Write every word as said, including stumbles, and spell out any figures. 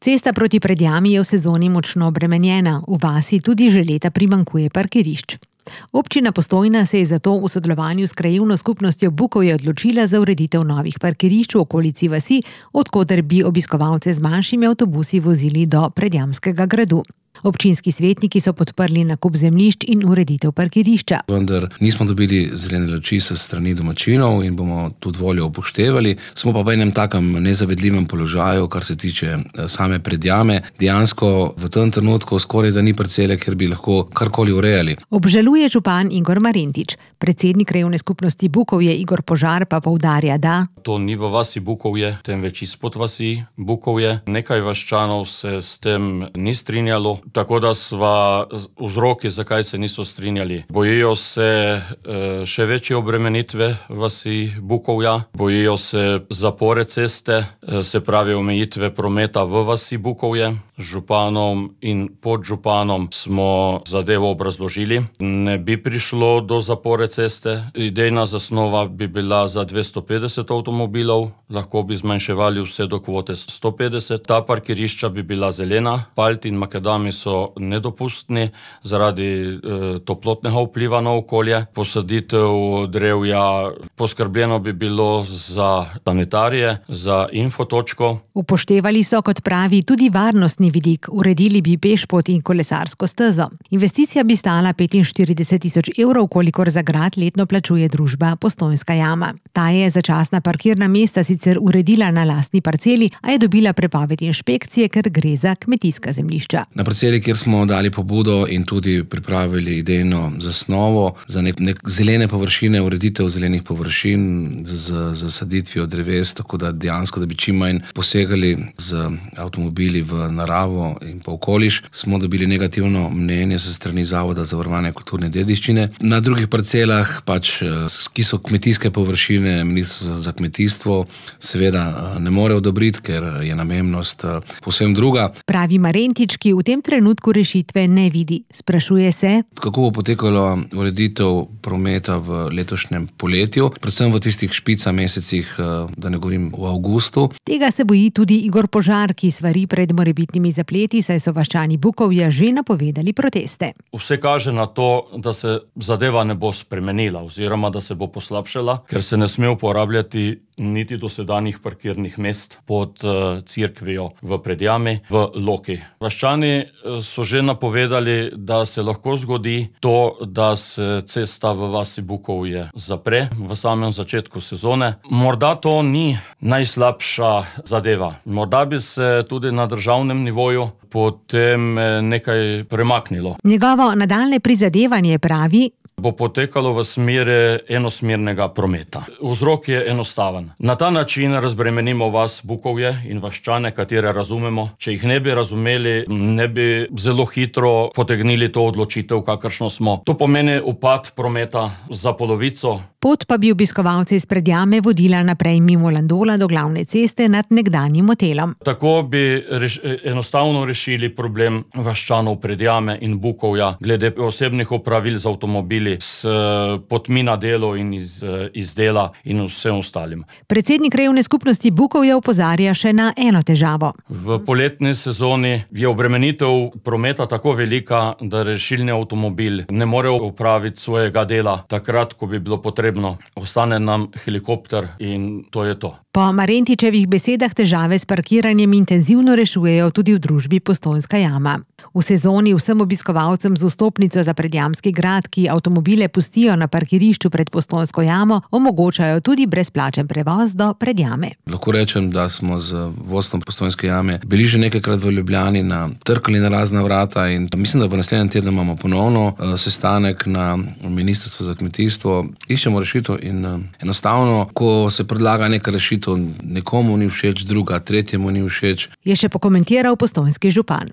Cesta proti Predjami je v sezoni močno obremenjena, v vasi tudi že leta primanjkuje parkirišč. Občina Postojna se je zato v sodelovanju s krajevno skupnostjo Bukovje odločila za ureditev novih parkirišč v okolici vasi, od koder bi obiskovalce z manjšimi avtobusi vozili do Predjamskega gradu. Občinski svetniki so podprli nakup zemljišč in ureditev parkirišča. Vendar nismo dobili zelene luči s strani domačinov in bomo tudi voljo upoštevali. Smo pa v enem takem nezavedljivem položaju, kar se tiče same Predjame. Dejansko v tem trenutku skoraj da ni parcele, kjer bi lahko karkoli urejali. Obžaluje župan Igor Marentič. Predsednik krajevne skupnosti Bukovje Igor Požar pa poudarja, da to ni v vasi Bukovje, temveč izpod vasi Bukovje. Nekaj vaščanov se s tem ni strinjalo. Tako da sva vzroki, zakaj se niso strinjali. Bojijo se e, še večje obremenitve vasi Bukovja, bojijo se zapore ceste, e, se pravi omejitve prometa v vasi Bukovje. Županom in podžupanom smo zadevo obrazložili. Ne bi prišlo do zapore ceste. Idejna zasnova bi bila za dvesto petdeset avtomobilov, lahko bi zmanjševali vse do kvote sto petdeset. Ta parkirišča bi bila zelena, palt in makadami so nedopustni zaradi e, toplotnega vpliva na okolje. Posaditev drevja, poskrbljeno bi bilo za sanitarije, za infotočko. Upoštevali so, kot pravi, tudi varnostni vidik, uredili bi pešpot in kolesarsko stezo. Investicija bi stala petinštirideset tisoč evrov, kolikor za grad letno plačuje družba Postojnska jama. Ta je začasna parkirna mesta sicer uredila na lastni parceli, a je dobila prepoved inšpekcije, ker gre za kmetijska zemljišča. Na parceli, kjer smo dali pobudo in tudi pripravili idejno zasnovo za nek, nek zelene površine, ureditev zelenih površin z, z saditvijo dreves, tako da dejansko, da bi čim manj posegali z avtomobili v naravo in pa okoliš, smo dobili negativno mnenje se strani Zavoda za varovanje kulturne dediščine. Na drugih parcelah, pač, ki so kmetijske površine, Ministrstvo za kmetijstvo seveda ne more odobriti, ker je namembnost povsem druga. Pravi Marentič, ki v tem trenutku rešitve ne vidi. Sprašuje se, kako bo potekalo ureditev prometa v letošnjem poletju, predvsem v tistih špica mesecih, da ne govorim v avgustu. Tega se boji tudi Igor Požar, ki svari pred morebitnimi zapleti, saj so vaščani Bukovja že napovedali proteste. Vse kaže na to, da se zadeva ne bo spremenila oziroma da se bo poslabšala, ker se ne sme uporabljati niti dosedanjih parkirnih mest pod uh, cerkvijo v Predjami, v Loki. Vaščani so že napovedali, da se lahko zgodi to, da se cesta v vasi Bukovje zapre v samem začetku sezone. Morda to ni najslabša zadeva. Morda bi se tudi na državnem nivoju potem nekaj premaknilo. Njegovo nadaljnje prizadevanje, pravi, bo potekalo v smeri enosmernega prometa. Vzrok je enostaven. Na ta način razbremenimo vas Bukovje in vaščane, katere razumemo. Če jih ne bi razumeli, ne bi zelo hitro potegnili to odločitev, kakršno smo. To pomeni upad prometa za polovico. Pot pa bi obiskovalce iz Predjame vodila naprej mimo Landola do glavne ceste nad nekdanjim hotelom. Tako bi reš, enostavno rešili problem vaščanov Predjame in Bukovja glede osebnih opravil z avtomobili, s potmi na delo in iz, iz dela in vsem ostalim. Predsednik krajevne skupnosti Bukovje opozarja še na eno težavo. V poletni sezoni je obremenitev prometa tako velika, da rešilni avtomobil ne more opraviti svojega dela takrat, ko bi bilo potrebno. Ostane nam helikopter in to je to. Po Marentičevih besedah težave s parkiranjem intenzivno rešujejo tudi v družbi Postojnska jama. V sezoni vsem obiskovalcem z vstopnico za Predjamski grad, ki avtomobile pustijo na parkirišču pred Postojnsko jamo, omogočajo tudi brezplačen prevoz do Predjame. Lahko rečem, da smo z vodstvom Postojnske jame bili že nekajkrat v Ljubljani, na trkali na razna vrata in mislim, da v naslednjem tednu imamo ponovno uh, sestanek na Ministrstvu za kmetijstvo. Iščemo rešitev in uh, enostavno, ko se predlaga neka rešitev, nekomu ni všeč, druga, tretjemu ni všeč. Je še pokomentiral postojnski župan.